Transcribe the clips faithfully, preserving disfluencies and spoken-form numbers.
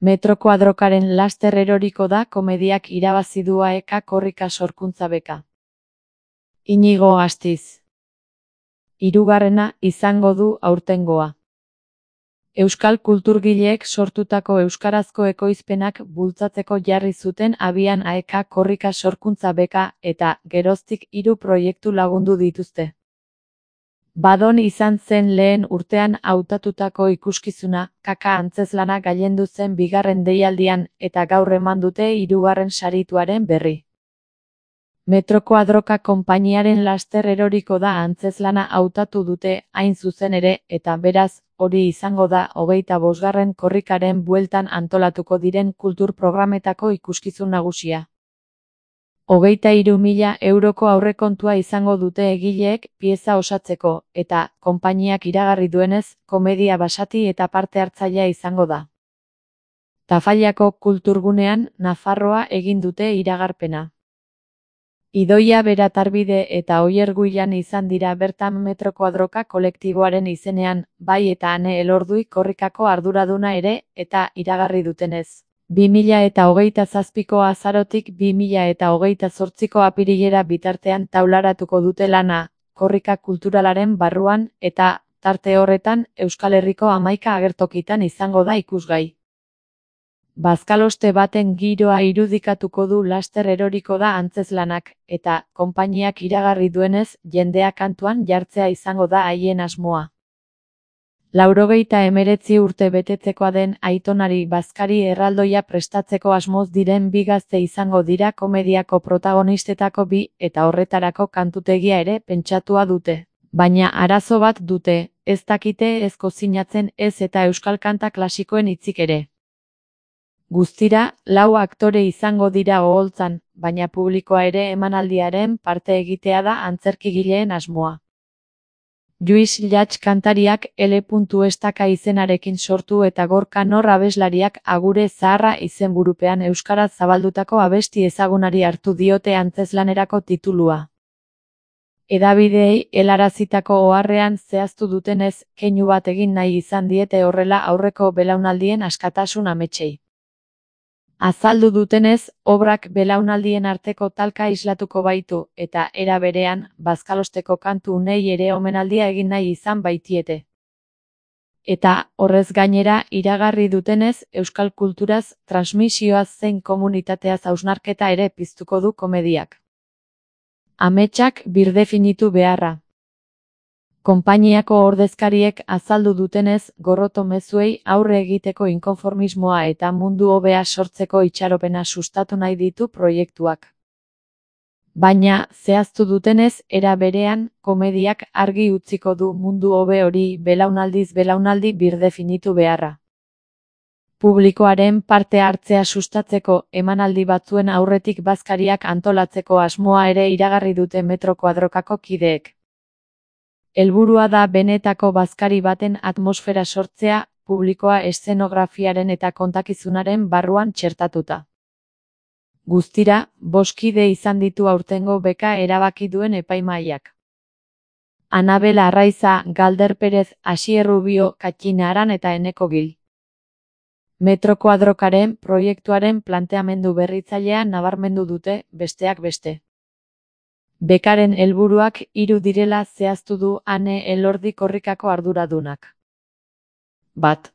Metro Kuadrokaren laster eroriko da komediak irabazi du A E K Korrika sorkuntza beka. Inigo Astiz. Hirugarrena izango du aurtengoa. Euskal kulturgileek sortutako euskarazko ekoizpenak bultzatzeko jarri zuten abian A E K Korrika sorkuntza beka eta geroztik hiru proiektu lagundu dituzte. Badon izan zen lehen urtean hautatutako ikuskizuna, kaka antzezlana gailendu zen bigarren deialdian eta gaur eman dute hirugarren sarituaren berri. Metro Kuadroka konpainiaren laster eroriko da antzezlana hautatu dute hain zuzen ere eta beraz, hori izango da hogeita bosgarren korrikaren bueltan antolatuko diren kultur programetako ikuskizun nagusia. Hogeita hiru mila euroko aurrekontua izango dute egileek pieza osatzeko, eta, konpainiak iragarri duenez, komedia basati eta parte hartzailea izango da. Tafallako kulturgunean, Nafarroa egin dute iragarpena. Idoia Beratarbide eta Oier Guilan izan dira bertan Metro Kuadroka kolektiboaren izenean, bai eta Ane Elordui korrikako arduraduna ere, eta iragarri dutenez. bi mila eta hogeita zazpiko azarotik bi mila eta hogeita zortziko apirilera bitartean taularatuko dute lana, korrika kulturalaren barruan, eta, tarte horretan, Euskal Herriko hamaika agertokitan izango da ikusgai. Bazkaloste baten giroa irudikatuko du laster eroriko da antzezlanak, eta, konpainiak iragarri duenez, jendea kantuan jartzea izango da haien asmoa. Laurogeita emeretzi urte betetzekoa den aitonari bazkari erraldoia prestatzeko asmoz diren bi gazte izango dira komediako protagonistetako bi eta horretarako kantutegia ere pentsatua dute. Baina arazo bat dute, ez dakite ez kozinatzen ez eta euskal kanta klasikoen hitzik ere. Guztira, lau aktore izango dira oholtzan, baina publikoa ere emanaldiaren parte egitea da antzerkigileen asmoa. Lluís Llach kantariak L. Estaka izenarekin sortu eta Gorka Nor abeslariak Agure Zaharra izenburupean euskaraz zabaldutako abesti ezagunari hartu diote antzezlanerako titulua. Hedabideei helarazitako oharrean zehaztu dutenez, keinu bat egin nahi izan diete horrela aurreko belaunaldien askatasun ametsei. Azaldu dutenez, obrak belaunaldien arteko talka islatuko baitu, eta era berean, bazkalosteko kantu unei ere omenaldia egin nahi izan baitiete. Eta, horrez gainera, iragarri dutenez, euskal kulturaz, transmisioaz zein komunitateaz hausnarketa ere piztuko du komediak. Ametsak birdefinitu beharra. Konpainiako ordezkariek azaldu dutenez, gorroto mezuei aurre egiteko inkonformismoa eta mundu hobea sortzeko itxaropena sustatu nahi ditu proiektuak. Baina, zehaztu dutenez, era berean, komediak argi utziko du mundu hobe hori belaunaldiz belaunaldi birdefinitu beharra. Publikoaren parte hartzea sustatzeko emanaldi batzuen aurretik bazkariak antolatzeko asmoa ere iragarri dute Metro Kuadrokako kideek. Helburua da benetako bazkari baten atmosfera sortzea, publikoa eszenografiaren eta kontakizunaren barruan txertatuta. Guztira, bost kide izan ditu aurtengo beka erabaki duen epaimahaiak. Anabel Arraiza, Galder Perez, Asier Rubio, Katxina Aran eta Eneko Gil. Metro Kuadrokaren proiektuaren planteamendu berritzailea nabarmendu dute, besteak beste. Bekaren helburuak hiru direla zehaztu du Ane Elordi korrikako arduradunak. Bat.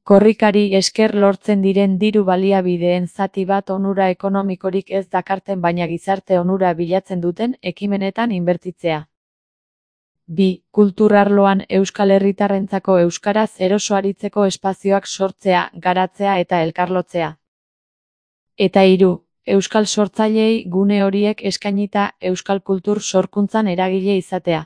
Korrikari esker lortzen diren diru baliabideen zati bat onura ekonomikorik ez dakarten baina gizarte onura bilatzen duten ekimenetan inbertitzea. Bi. Kultur arloan euskal herritarrentzako euskaraz eroso aritzeko espazioak sortzea, garatzea eta elkarlotzea. Eta hiru. Euskal sortzaileei gune horiek eskainita euskal kultur sorkuntzan eragile izatea.